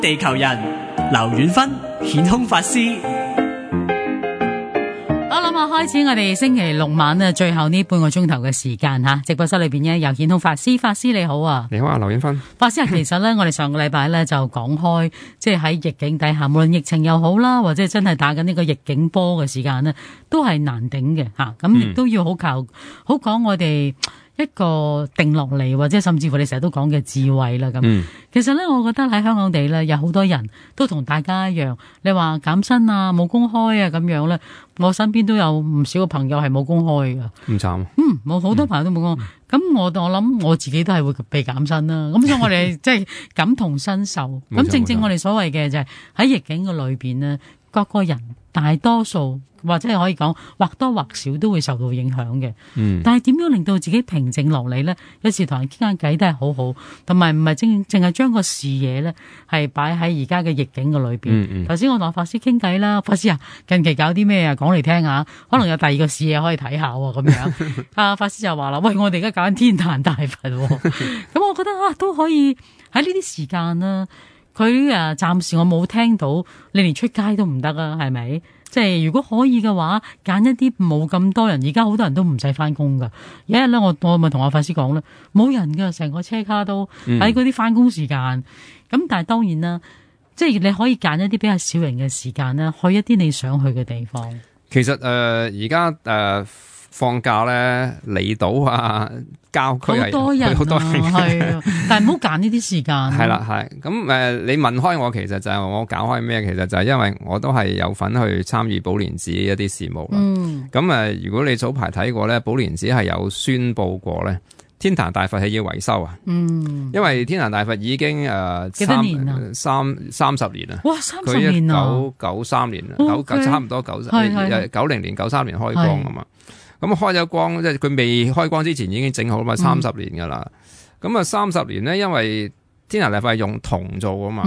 地球人劉遠芬顯空法師。好啦，開始我哋星期六晚咧最後呢半個鐘頭嘅時間吓，直播室裏邊咧有顯空法師，法師你好啊。你好啊，劉遠芬。法師其實咧我哋上個禮拜咧就講開，即係喺逆境底下，無論疫情又好啦，或者真係打緊呢個逆境波嘅時間咧，都係難頂嘅吓，咁亦都要好講我哋一個定落嚟，或者甚至乎你成日都講嘅智慧啦咁。其實咧，我覺得喺香港地咧，有好多人都同大家一樣，你話減薪啊、冇公開啊咁樣咧，我身邊都有唔少嘅朋友係冇公開噶。唔慘。冇好多朋友都冇公開。咁我諗我自己都係會被減薪啦。咁所以我哋即係感同身受。咁正我哋所謂嘅就係喺逆境嘅裏邊呢，各個人大多數，或者係可以講或多或少都會受到影響嘅。但係點樣令到自己平靜落嚟呢？有時同人傾下偈都係好好，同埋唔係淨係將個視野呢係擺喺而家嘅逆境嘅裏邊。頭先我同法師傾偈啦，法師啊，近期搞啲咩啊？講嚟聽下，可能有第二個視野可以睇下咁樣。法師就話啦，喂，我哋而家搞緊天壇大佛，咁我覺得都可以喺呢啲時間啦。佢暫時我冇聽到，你連出街都唔得啊，係咪？即係如果可以嘅話，揀一啲冇咁多人。而家好多人都唔使翻工噶。有一日咧，我咪同阿法師講咧，冇人噶，成個車卡都喺嗰啲翻工時間。咁但係當然啦，即係你可以揀一啲比較少人嘅時間啦，去一啲你想去嘅地方。其實而家放假咧，離島啊、郊區係好多人係，但係唔好揀呢啲時間。係啦，係咁你問開我，其實就係我搞開咩？其實就係因為我都係有份去參與寶蓮寺一啲事務啦。咁如果你早排睇過咧，寶蓮寺係有宣佈過咧，天壇大佛係要維修啊。因為天壇大佛已經幾多年啊？30年啦。哇，30年啊！1993年啦，差唔多90年、93年開光啊嘛。咁開咗光，即係佢未開光之前已經整好嘛，30年噶啦。咁30年咧，因為天壇大佛係用銅做啊嘛。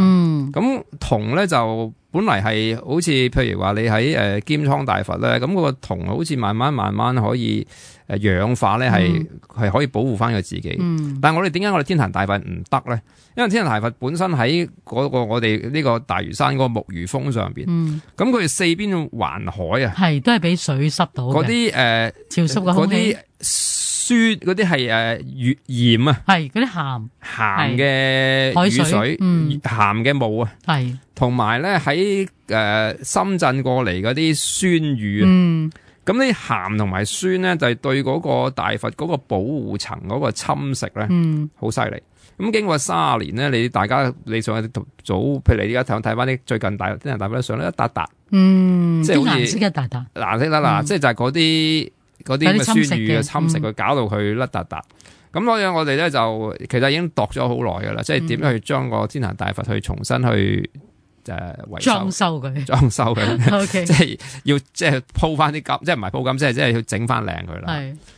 咁銅咧就本嚟係好似譬如話你喺鎌倉大佛咧，咁嗰個銅好似慢慢可以氧化咧，係可以保護翻佢自己。但係我哋點解我哋天壇大佛唔得咧？因為天壇大佛本身喺嗰個我哋呢個大嶼山嗰個木魚峰上邊，咁佢四邊環海啊，係都係俾水濕到嘅。嗰啲潮濕嘅空氣，嗰啲酸，嗰啲係鹽啊，係嗰啲鹹嘅雨水，鹹嘅霧啊，係同埋咧喺深圳過嚟嗰啲酸雨啊。咁呢鹹同埋酸咧，就係對嗰個大佛嗰個保護層嗰個侵蝕咧，好犀利。咁經過30年咧，你上去早，譬如你而家睇翻啲最近天壇大佛上咧一笪笪，即係好似顏色一笪笪，藍色啦，即係就係嗰啲咁嘅酸雨嘅侵蝕，佢搞到佢甩笪笪。咁所以我哋咧就其實已經度咗好耐噶啦，即係點樣去將個天壇大佛去重新去維修裝修佢，即係要即係鋪翻啲金，即係唔係鋪金，即係要整翻靚佢啦。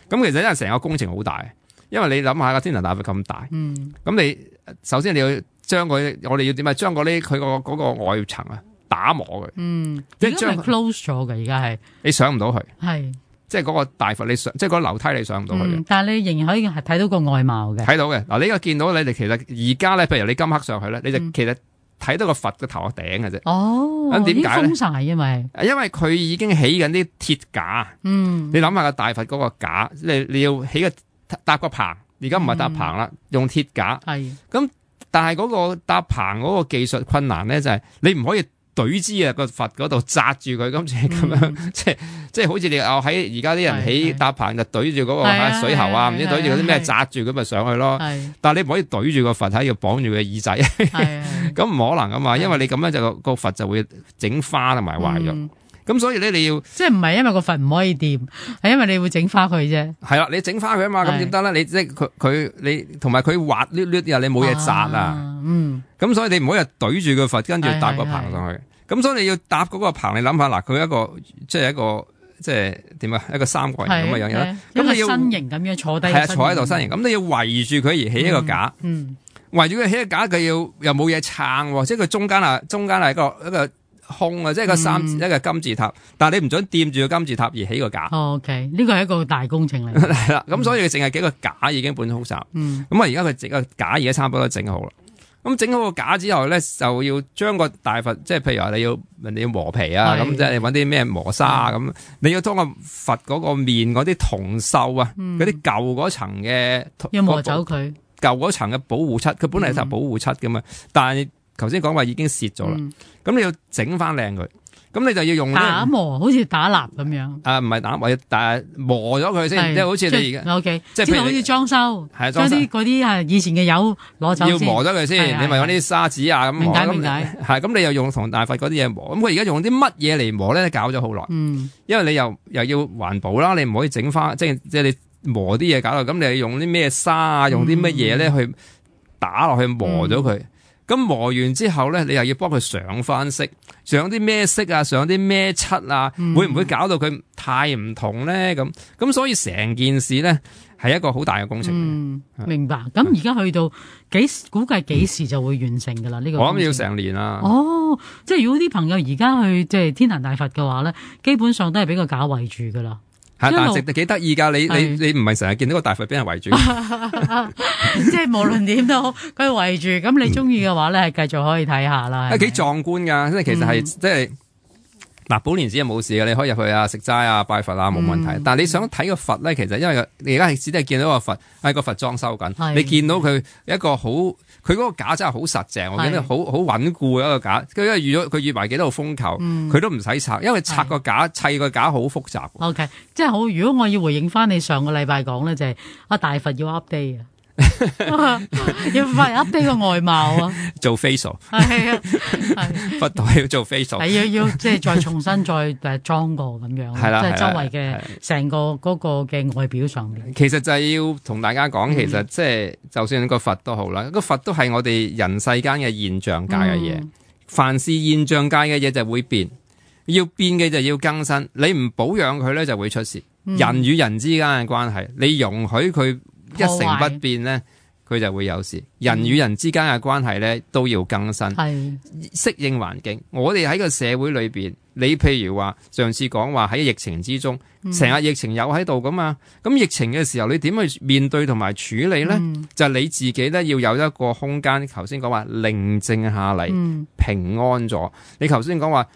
咁其實因為成個工程好大。因為你諗下個天壇大佛咁大，咁你首先你要將我哋要點啊？將佢嗰個外層啊打磨佢，即係將 close 咗嘅。而家係你上唔到去，係即係嗰個大佛你上，即係嗰個樓梯你上唔到去嘅。但係你仍然可以係睇到個外貌嘅，睇到嘅。嗱，你而家見到你哋其實而家咧，譬如你今刻上去咧，你就其實睇到個佛個頭殼頂嘅啫。哦，咁點解咧？封晒，因為佢已經起緊啲鐵架。你諗下個大佛嗰個架，你要起個搭個棚，而家唔係搭棚啦，用鐵架。咁，但係嗰個搭棚嗰個技術困難咧，就係你唔可以懟支個佛嗰度紮住佢，咁咁樣，即係好似你喺而家啲人起搭棚就懟住嗰個水喉啊，唔知懟住嗰啲咩紮住咁咪上去咯。但係你唔可以懟住個佛喺度綁住佢耳仔，咁唔可能噶嘛，因為你咁樣就個佛就會整花同埋壞咗。咁所以咧，你要即係唔係因為個佛唔可以掂，係因為你會整花佢啫。係啦，你整花佢啊嘛，咁點得咧？你即係你同埋佢滑捋捋啊，你冇嘢紮啊。咁所以你唔可以懟住個佛，跟住搭個棚上去。咁所以你要搭嗰個棚，你諗下嗱，佢一個即係點啊？一個三角形咁嘅樣嘢。咁你要身形咁樣坐低，係啊，坐喺度身形。咁你要圍住佢而起一個架。圍住佢起一個架，佢又冇嘢撐，即係佢中間係一個空啊，即係一個金字塔，但係你唔准掂住個金字塔而起個架。OK， 呢個係一個大工程嚟。係啦，咁所以佢淨係幾個架已經本好雜。咁啊，而家佢整個架而家差唔多都整好啦。咁整好個架之後咧，就要將個大佛，即係譬如話人哋要磨皮啊，咁即係揾啲咩磨砂啊，咁你要將個佛嗰個面嗰啲銅鏽啊，嗰啲舊嗰層嘅要磨走佢舊嗰層嘅保護漆，佢本嚟係保護漆噶嘛，但係頭先講話已經蝕咗啦，咁你要整翻靚佢。咁你就要用打磨，好似打蠟咁樣。唔係打磨，但係磨咗佢先，即係好似你而家。OK， 即係好似裝修，將啲嗰啲係以前嘅油攞走先。要磨咗佢先，你咪揾啲砂紙啊咁磨。明解。係咁，你又用同大佛嗰啲嘢磨。咁佢而家用啲乜嘢嚟磨咧？搞咗好耐。因為你又要環保啦，你唔可以整翻，即係你磨啲嘢搞到。咁你係用啲咩砂啊？用啲乜嘢咧去打落去磨咗佢？咁磨完之後咧，你又要幫佢上翻色，上啲咩色啊，上啲咩漆啊，會唔會搞到佢太唔同咧？咁所以成件事咧係一個好大嘅工程。明白。咁而家去到估計幾時就會完成噶啦？呢個我諗要成年啦。哦，即係如果啲朋友而家去即係天壇大佛嘅話咧，基本上都係俾個架圍住噶啦。係，但係幾得意噶，你唔係成日見到個大佛俾人圍住，即係無論點都好，佢圍住，咁你中意嘅話咧，係繼續可以睇下啦。幾壯觀噶，即係其實係即係嗱，寶蓮寺係冇事嘅，你可以入去啊，食齋啊，拜佛啊，冇問題。但係你想睇個佛咧，其實因為你而家係只係見到個佛喺個佛裝修緊，你見到佢一個好。佢嗰個架真係好實淨，我見到好穩固嘅一個架。因為佢預埋幾多個風球，佢都唔使拆，因為拆個架砌個架好複雜。OK， 即係好。如果我要回應翻你上個禮拜講咧，就係大佛要 update 啊。要快 update 個外貌啊，做 facial 係啊，佛台要做 facial 係要即係再重新再裝過咁樣，係啦，即係周圍嘅成個嗰個嘅外表上面。其實就係要同大家講，其實即係就算個佛都好啦，個佛都係我哋人世間嘅現象界嘅嘢，凡是現象界嘅嘢就會變，要變嘅就要更新，你唔保養佢咧就會出事。人與人之間嘅關係，你容許佢一成不變咧，佢就會有事。人與人之間嘅關係咧都要更新，適應環境。我哋喺個社會裏邊，你譬如話上次講話喺疫情之中，成日疫情有喺度噶嘛，咁疫情嘅時候你點去面對同埋處理咧？就係你自己咧要有一個空間。頭先講話寧靜下嚟，平安咗。你頭先講話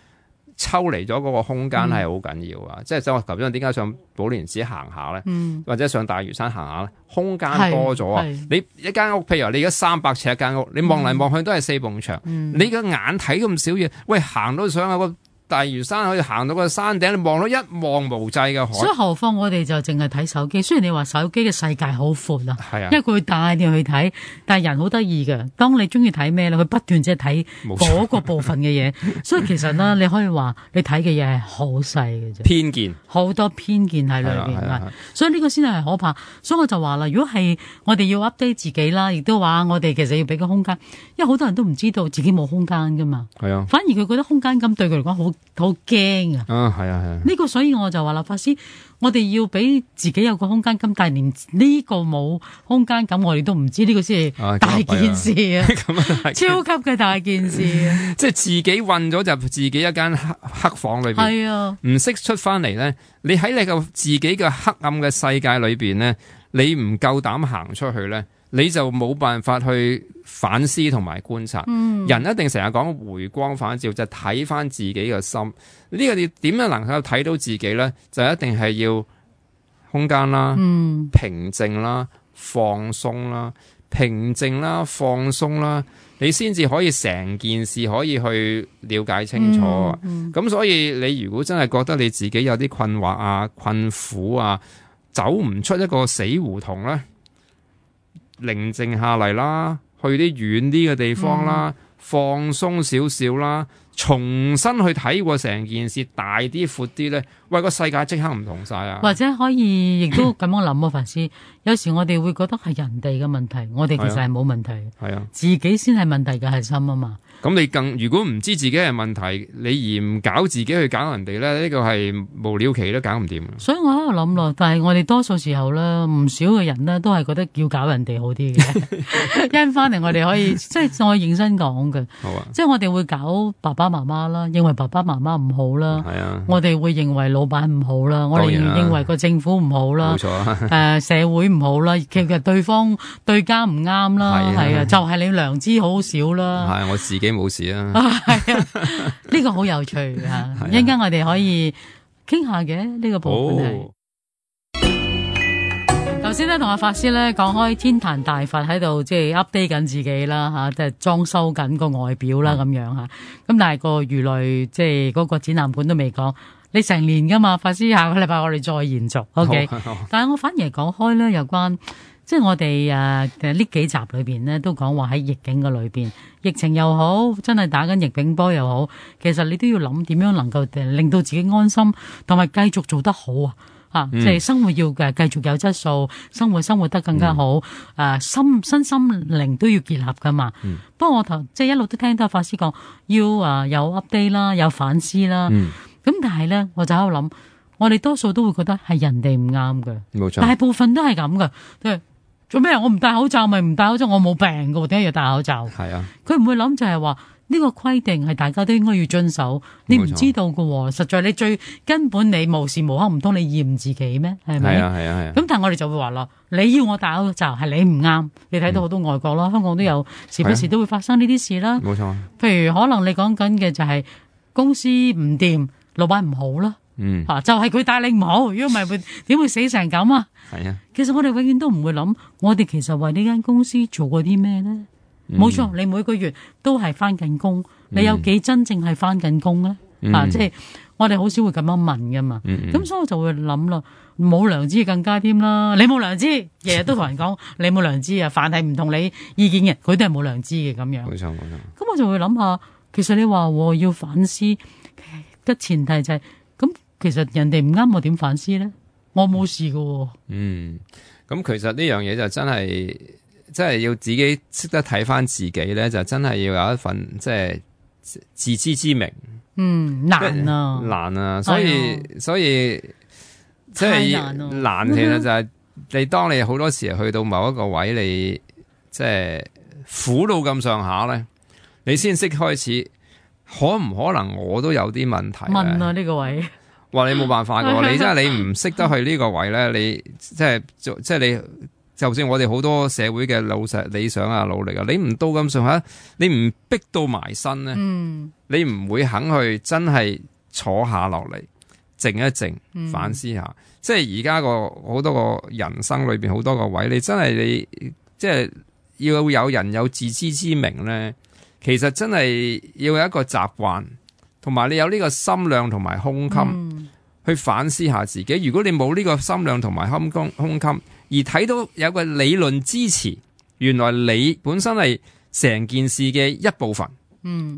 抽離咗嗰個空間係好緊要啊！即係我頭先點解上寶蓮寺行下咧，或者上大嶼山行下咧，空間多咗啊！你一間屋，譬如話你而家300尺一間屋，你望嚟望去都係4埲牆，你個眼睇咁少嘢，喂，行到上個大嶼山可以行到個山頂，你望到一望無際嘅海。所以何況我哋就淨係睇手機。雖然你話手機嘅世界好闊啊，因為佢會帶你去睇，但係人好得意嘅。當你中意睇咩咧，佢不斷即係睇嗰個部分嘅嘢。所以其實咧，你可以話你睇嘅嘢係好細嘅啫，偏見好多偏見喺裏邊。所以呢個先係可怕。所以我就話啦，如果係我哋要 update 自己啦，亦都話我哋其實要俾個空間，因為好多人都唔知道自己冇空間噶嘛。係啊，反而佢覺得空間感對佢嚟講好驚啊！係啊。呢個所以我就話啦，法師，我哋要俾自己有個空間感，但係連呢個冇空間感，我哋都唔知，呢個先係大件事啊！超級嘅大件事啊！即係自己困咗就自己一間黑房裏邊，係啊，唔識出翻嚟咧。你喺你個自己嘅黑暗嘅世界裏邊咧，你唔夠膽行出去咧，你就冇辦法去反思同埋觀察。人一定成日講回光返照，就睇翻自己嘅心。呢個你點樣能夠睇到自己咧？就一定係要空間啦、平靜啦、放鬆啦、平靜啦、放鬆啦，你先至可以成件事可以去了解清楚。咁所以你如果真係覺得你自己有啲困惑啊、困苦啊，走唔出一個死胡同咧，寧靜下嚟啦，去啲遠啲嘅地方啦，放鬆少少啦，重新去睇過成件事，大啲闊啲咧，喂，個世界即刻唔同晒啊！或者可以亦都咁樣諗啊，法師，有時我哋會覺得係人哋嘅問題，我哋其實係冇問題，係啊，自己先係問題嘅核心啊嘛。咁你如果唔知自己係問題，你而唔搞自己去搞人哋咧，呢個係無了期都搞唔掂。所以我喺度諗咯，但係我哋多數時候咧，唔少嘅人咧都係覺得要搞人哋好啲嘅。因翻嚟我哋可以即係我認真講嘅，即係我哋會搞爸爸媽媽啦，認為爸爸媽媽唔好啦，我哋會認為老闆唔好啦，我哋認為個政府唔好啦，冇錯，社會唔好啦，其實對方對家唔啱啦，係啊，就係你良知好少啦，係我自己冇事啦，係啊，呢個好有趣啊，一陣間我哋可以傾下嘅呢個部分係。頭先咧同阿法師咧講開天壇大佛喺度即係 update 緊自己啦吓，即係裝修緊個外表啦咁樣吓。咁但係個魚類即係嗰個展覽館都未講，你成年噶嘛？法師下個禮拜我哋再延續 ，OK。但係我反而係講開咧有關即係我哋呢幾集裏邊咧都講話喺逆境嘅裏邊，疫情又好，真係打緊逆境波又好，其實你都要諗點樣能夠令到自己安心，同埋繼續做得好啊！即係生活要繼續有質素，生活得更加好。身心靈都要結合噶嘛。不過我即係一路都聽到法師講，要有 update 啦，有反思啦。咁但係咧，我就喺度諗，我哋多數都會覺得係人哋唔啱嘅，冇錯。大部分都係咁嘅，即係做咩？我唔戴口罩咪唔戴口罩，我冇病嘅，點解要戴口罩？係啊，佢唔會諗就係話。呢個規定係大家都應該要遵守，你唔知道喎。實在你最根本你無時無刻唔通你驗自己咩？係咪？係啊。咁但係我哋就會話啦，你要我戴口罩係你唔啱。你睇到好多外國啦，香港都有時不時都會發生呢啲事啦。冇錯。譬如可能你講緊嘅就係公司唔掂，老闆唔好啦。就係佢帶領唔好，如果唔係會點會死成咁啊？係啊。其實我哋永遠都唔會諗，我哋其實為呢間公司做過啲咩咧？冇錯，你每個月都係翻緊工，你有幾真正係翻緊工咧？即係我哋好少會咁樣問噶嘛。咁所以我就會諗啦，冇良知更加添啦。你冇良知，日日都同人講你冇良知啊，凡係唔同你意見嘅，佢都係冇良知嘅咁樣。冇錯。咁我就會諗下，其實你話要反思嘅前提就係，咁其實人哋唔啱，我點反思咧？我冇事噶。咁其實呢樣嘢就真係要自己識得睇翻自己咧，就真係要有一份即係自知之明。難啊，所以即係難，其實就係你當你好多時去到某一個位，你即係苦到咁上下咧，你先識開始，可唔可能我都有啲問題？問呢個位，話你冇辦法噶，你真係你唔識得去呢個位咧，你即係你。就算我哋好多社會嘅理想啊、努力啊，你唔到咁上下，你唔逼到埋身咧，你唔會肯去真係坐下落嚟靜一靜，反思下。即係而家個好多個人生裏邊好多個位，你真係你即係要有人有自知之明咧。其實真係要有一個習慣，同埋你有呢個心量同埋胸襟去反思下自己。如果你冇呢個心量同埋胸襟，而睇到有個理論支持，原來你本身係成件事嘅一部分。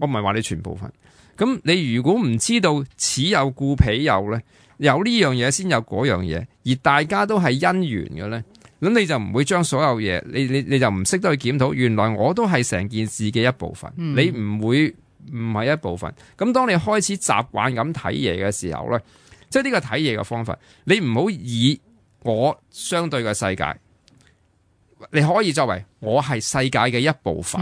我唔係話你全部分。咁你如果唔知道此有故彼有咧，有呢樣嘢先有嗰樣嘢，而大家都係因緣嘅咧，咁你就唔會將所有嘢，你就唔識得去檢討。原來我都係成件事嘅一部分，你唔會唔係一部分。咁當你開始習慣咁睇嘢嘅時候咧，即係呢個睇嘢嘅方法，你唔好以我相對嘅世界，你可以作為我係世界嘅一部分。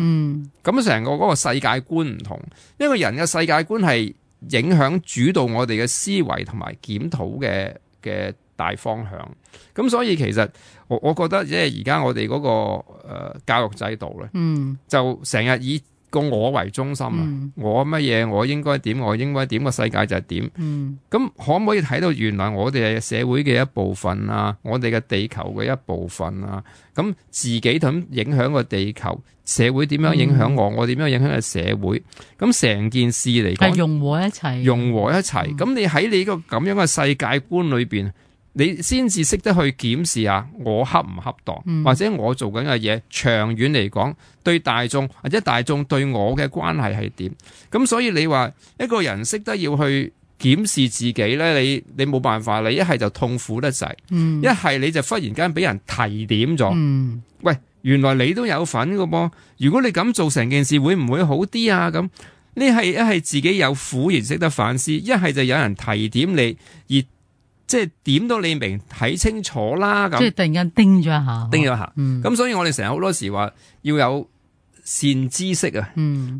咁成個嗰個世界觀唔同，一個人嘅世界觀係影響主導我哋嘅思維同埋檢討嘅大方向。咁所以其實我覺得即係而家我哋嗰個教育制度咧，就成日以個我為中心啊！我乜嘢？我應該點？我應該點？個世界就係點？咁可唔可以睇到原來我哋係社會嘅一部分啊？我哋嘅地球嘅一部分啊？咁自己咁影響個地球，社會點樣影響我？我點樣影響個社會？咁成件事嚟講，融合一齊，融合一齊。咁你喺你個咁樣嘅世界觀裏邊，你先至識得去檢視下我恰唔恰當，或者我做緊嘅嘢長遠嚟講對大眾或者大眾對我嘅關係係點。咁所以你話一個人識得要去檢視自己咧，你冇辦法，你一係就痛苦得滯，一係你就忽然間俾人提點咗。喂，原來你都有份㗎噃，如果你咁做成件事會唔會好啲啊？咁呢係一係自己有苦而識得反思，一係就有人提點你而即係點到你明睇清楚啦。咁即係突然間叮咗一下，叮咗一下。咁所以我哋成日好多時話要有善知識啊，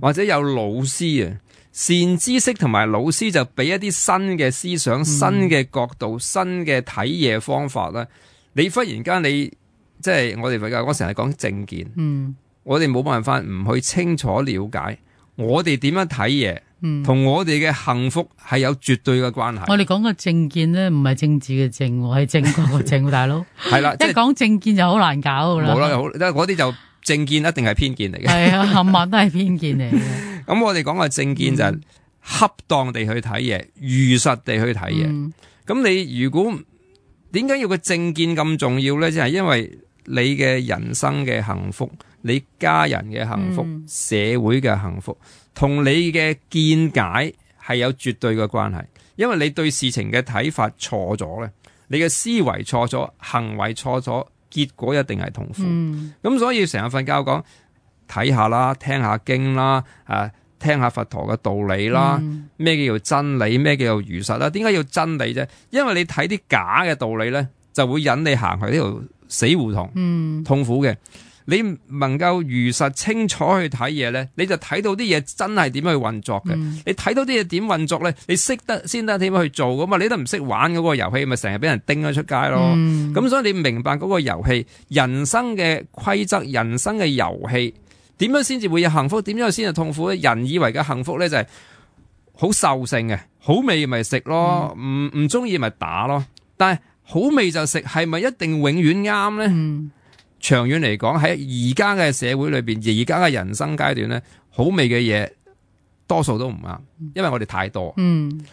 或者有老師啊，善知識同埋老師就俾一啲新嘅思想、新嘅角度、新嘅睇嘢方法啦。你忽然間即係我成日講正見，我哋冇辦法唔去清楚了解我哋點樣睇嘢，同我哋嘅幸福係有絕對嘅關係。我哋講嘅正見咧，唔係政治嘅正，係正確嘅正，大佬係啦，一講正見就好難搞噶啦。冇啦，嗰啲就正見一定係偏見嚟嘅。係啊，冚唪唥都係偏見嚟嘅。咁我哋講嘅正見就係恰當地去睇嘢，如實地去睇嘢。咁你如果點解要個正見咁重要咧？就係因為你嘅人生嘅幸福，你家人嘅幸福，社會嘅幸福，同你嘅見解係有絕對嘅關係。因為你對事情嘅睇法錯咗咧，你嘅思維錯咗，行為錯咗，結果一定係痛苦。咁所以成日瞓覺講睇下啦，聽下經啦，聽下佛陀嘅道理啦，咩叫做真理，咩叫做如實啦？點解要真理啫？因為你睇啲假嘅道理咧，就會引你行去呢條死胡同，痛苦嘅。你能夠如實清楚去睇嘢咧，你就睇到啲嘢真係點樣去運作嘅。你睇到啲嘢點運作咧，你識得先得點樣去做噶嘛？你都唔識玩嗰個遊戲，咪成日俾人叮咗出街咯。咁所以你明白嗰個遊戲，人生嘅規則，人生嘅遊戲。點樣先至會有幸福？點樣先係痛苦咧？人以為嘅幸福咧就係好獸性嘅，好味咪食咯，唔中意咪打咯。但係好味就食，係咪一定永遠啱咧？長遠嚟講，喺而家嘅社會裏邊，而家嘅人生階段咧，好味嘅嘢多數都唔啱，因為我哋太多，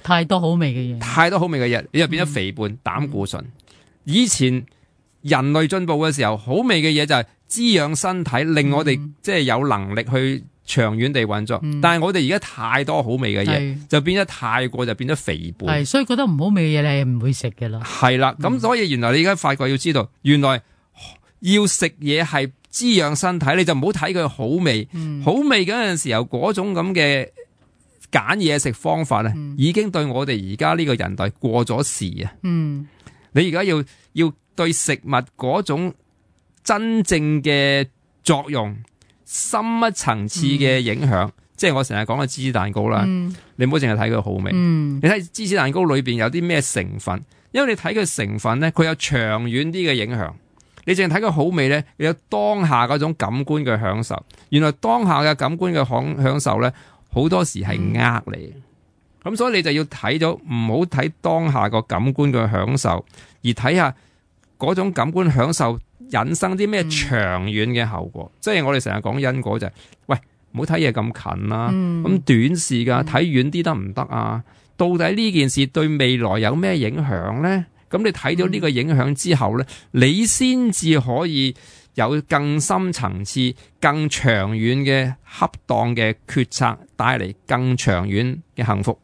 太多好味嘅嘢，太多好味嘅嘢，你就變咗肥胖、膽固醇。以前人類進步嘅時候，好味嘅嘢就係滋養身體，令我哋即係有能力去長遠地運作。但係我哋而家太多好味嘅嘢，就變咗太過，就變咗肥胖。係，所以覺得唔好味嘅嘢你係唔會食嘅啦。係啦，咁所以原來你而家發覺要知道，原來要食嘢係滋養身體，你就唔好睇佢好味。好味嗰陣時候，嗰種咁嘅揀嘢食方法咧，已經對我哋而家呢個人代過咗時啊。你而家要對食物嗰種真正嘅作用、深一層次嘅影響，即係我成日講嘅芝士蛋糕啦。你唔好淨係睇佢好味，你睇芝士蛋糕裏邊有啲咩成分，因為你睇佢成分咧，佢有長遠啲嘅影響。你淨係睇佢好味咧，你有當下嗰種感官嘅享受。原來當下嘅感官嘅享受咧，好多時係呃你。咁所以你就要睇咗，唔好睇當下個感官嘅享受，而睇下嗰種感官享受引生啲咩長遠嘅後果。即係我哋成日講因果就係，喂，唔好睇嘢咁近啦，咁短視噶，睇遠啲得唔得啊？到底呢件事對未來有咩影響咧？咁你睇到呢個影響之後咧，你先至可以有更深層次、更長遠嘅恰當嘅決策，帶嚟更長遠嘅幸福。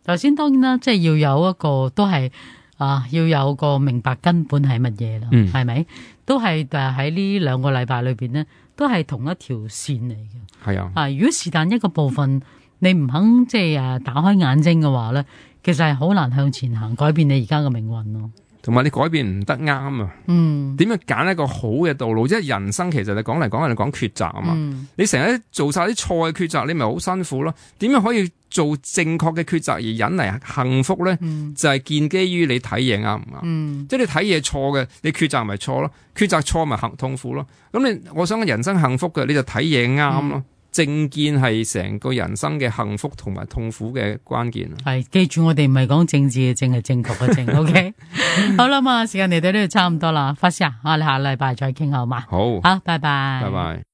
頭先當然啦，即係要有一個都係要有個明白根本係乜嘢啦，係咪？都係喺呢2個禮拜裏邊咧，都係同一條線嚟嘅。係啊，如果是但一個部分你唔肯即係打開眼睛嘅話咧，其實係好難向前行，改變你而家嘅命運咯。同埋你改變唔得啱啊！點樣揀一個好嘅道路？即係人生其實你講嚟講去，你講抉擇啊嘛。你成日做晒啲錯嘅抉擇，你咪好辛苦咯。點樣可以做正確嘅抉擇而引嚟幸福咧？就係建基於你睇嘢啱唔啱。即係你睇嘢錯嘅，你抉擇咪錯咯。抉擇錯咪痛苦咯。咁我想人生幸福嘅，你就睇嘢啱咯。正見係成個人生嘅幸福同埋痛苦嘅關鍵。係，記住我哋唔係講政治嘅正，係正確嘅正。OK， 好啦嘛，時間嚟到呢度差唔多啦，法師啊，我哋下禮拜再傾好嘛？好，拜拜，拜拜。